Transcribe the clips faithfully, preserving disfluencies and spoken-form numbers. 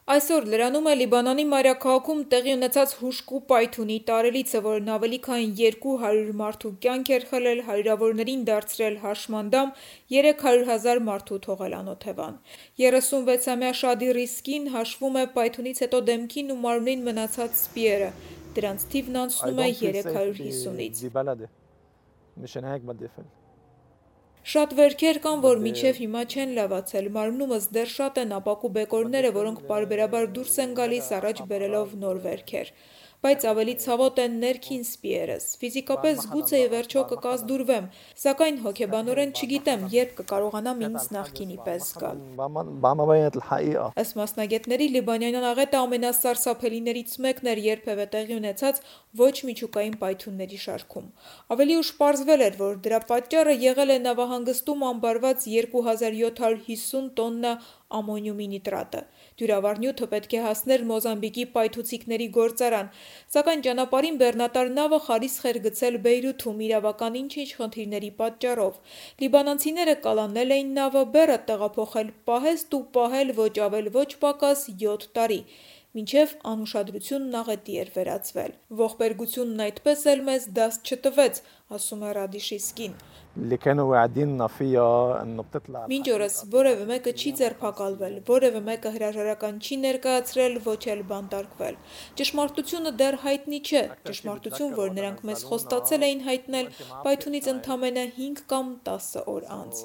Այսօր լրանում է Լիբանանի մայրաքաղաքում տեղի ունեցած հուժկու պայթյունի տարելիցը, որն ավելի քան երկու հարյուր մարդու կյանք էր խլել, հարյուրավորներին դարձրել հաշմանդամ, երեք հարյուր հազար մարդու թողել անօթևան։ երեսունվեցամյա Շադի Ռիսկին հաշվում է պայթյունից հետո դեմքին ու մարմնին մնացած սպիերը, դրանց թիվն անցնում է երեք հարյուր հիսունից։ Շատ վերքեր կան, որ մինչև հիմա չեն լավացել, մարմնումս դեռ շատ են ապակու բեկորները, որոնք պարբերաբար դուրս են գալիս առաջ բերելով նոր վերքեր, բայց ավելի ցավոտ են ներքին սպիերս, ֆիզիկապես զգուց է ի վերջո կկազդուրվեմ, սակայն հոգեբանորեն չգիտեմ, երբ կկարողանամ ինձ նախկինի պես զգալ։ Ըստ մասնագետների, լիբանանյան աղետը ամենասարսափելիներից մեկն էր երբևէ տեղի ունեցած ոչ միջուկային պայթյունների շարքում։ Ավելի ուշ պարզվել էր, որ դրա պատճառը եղել է նավահանգստում ամբարված երկու հազար յոթ հարյուր հիսուն տոննա ամոնիումի նիտրատը։ Դյուրավառ նյութը պետք է հասներ Մոզամբիկի պայթուցիկների գործարան, սակայն ճանապարհին բեռնատար նավը խարիսխ էր գցել Բեյրութում իրավական ինչ-ինչ խնդիրների պատճառով։ Լիբանանցիները կալանել էին նավը, բեռը տեղափոխել պահեստ ու պահել ոչ ավել ոչ պակաս յոթ տարի, մինչև անուշադրությունն աղետի էր վերածվել։ Ողբերգությունն այդպես էլ մեզ դաս չտվեց, ասում է Ռադիշիսկին։ Մինչ օրս որևէ մեկը չի ձերբակալվել, որևէ մեկը հրաժարական չի ներկայացրել, ոչ էլ բանտարկվել։ Ճշմարտությունը դեռ հայտնի չէ, ճշմարտություն, որ նրանք մեզ խոստացել էին հայտնել պայթյունից ընդամենը հինգ կամ տասը օր անց։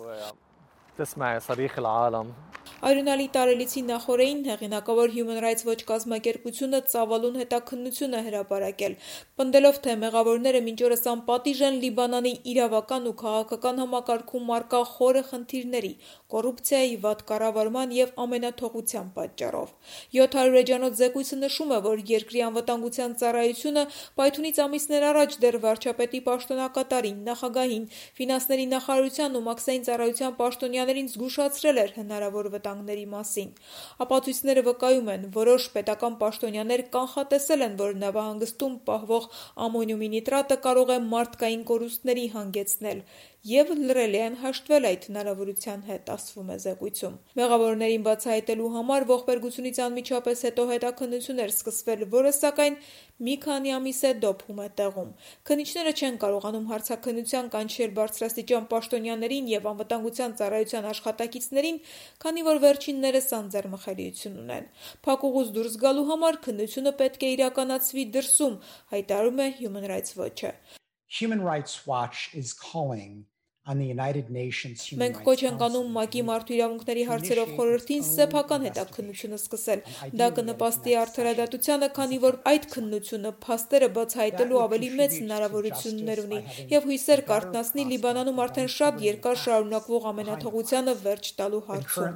Արյունալի տարելիցի նախօրեին հեղինակավոր Human Rights Watch կազմակերպությունը ծավալուն հետաքննություն է հրապարակել, պնդելով, թե մեղավորները մինչ օրս անպատիժ են Լիբանանի իրավական ու քաղաքական համակարգում առկա խորը խնդիրների, կոռուպցիայի, վատ կառավարման և ամենաթողության պատճառով։ յոթ հարյուր էջանոց զեկույցը նշում է, որ երկրի անվտանգության ծառայությունը պայթյունից ամիսներ առաջ դեռ վարչապետի պաշտոնակատարին, նախագահին, ֆինանսների նախարարության ու մաքսային ծառայության պաշտոնյաներին զգուշացրել էր հնարավոր վտանգների մասին։ Ապացույցները վկայում են, որոշ պետական պաշտոնյաներ կանխատեսել են, որ նավահանգստում պահվող ամոնիումի նիտրատը կարող է մարդկային կորուստների հանգեցնել և լռելի են հաշտվել այդ հնարավորության հետ, ասվում է զեկույցում։ Մեղավորներին բացահայտելու համար ողբերգությունից անմիջապես հետո հետաքննություն էր սկսվել, որը սակայն մի քանի ամիս է դոփում է տեղում։ Քննիչները չեն կարողանում հարցաքննության կանչել բարձրաստիճան պաշտոնյաներին և անվտանգության ծառայության աշխատակիցներին, քանի որ վերջիններս անձեռմխելիություն ունեն։ Փակուղուց դուրս գալու համար քննությունը պետք է իրականացվի դրսում, հայտարարում է Human Rights Watch-ը։ Human Rights Watch is calling on the United Nations Human Մենք կոչ ենք անում ՄԱԿ-ի մարդու իրավունքների հարցերով խորհրդին սեփական հետաքննությունը սկսել։ Դա կնպաստի արդարադատությանը, քանի որ այդ քննությունը փաստերը բացահայտելու ավելի մեծ հնարավորություններ ունի և հույսեր կարթնացնի Լիբանանում արդեն շատ երկար շարունակվող ամենաթողությանը վերջ տալու հարցում։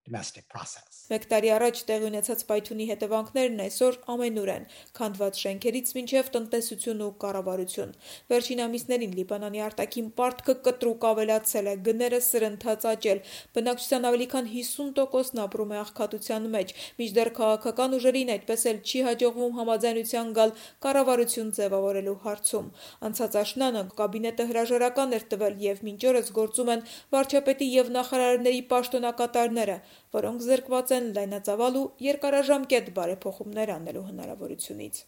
Մեկ տարի առաջ տեղի ունեցած պայթյունի հետևանքներն այսօր ամենուր են՝ քանդված շենքերից մինչև տնտեսություն ու կառավարություն։ Վերջին ամիսներին Լիբանանի արտաքին պարտքը կտրուկ ավելացել է, գները սրընթաց աճել, բնակչության ավելի քան հիսուն տոկոսն ապրում է աղքատության մեջ, մինչդեռ քաղաքական ուժերին այդպես էլ չի հաջողվում համաձայնության գալ կառավարություն ձևավորելու հարցում։ Անցած աշնանը կաբինետը հրաժարական էր տվել և մինչ օրս գործում են վարչապետի և նախարարների պաշտոնակատարները, որոնք զրկված են լայնածավալ ու երկարաժամկետ բարեփոխումներ անելու հնարավորությունից։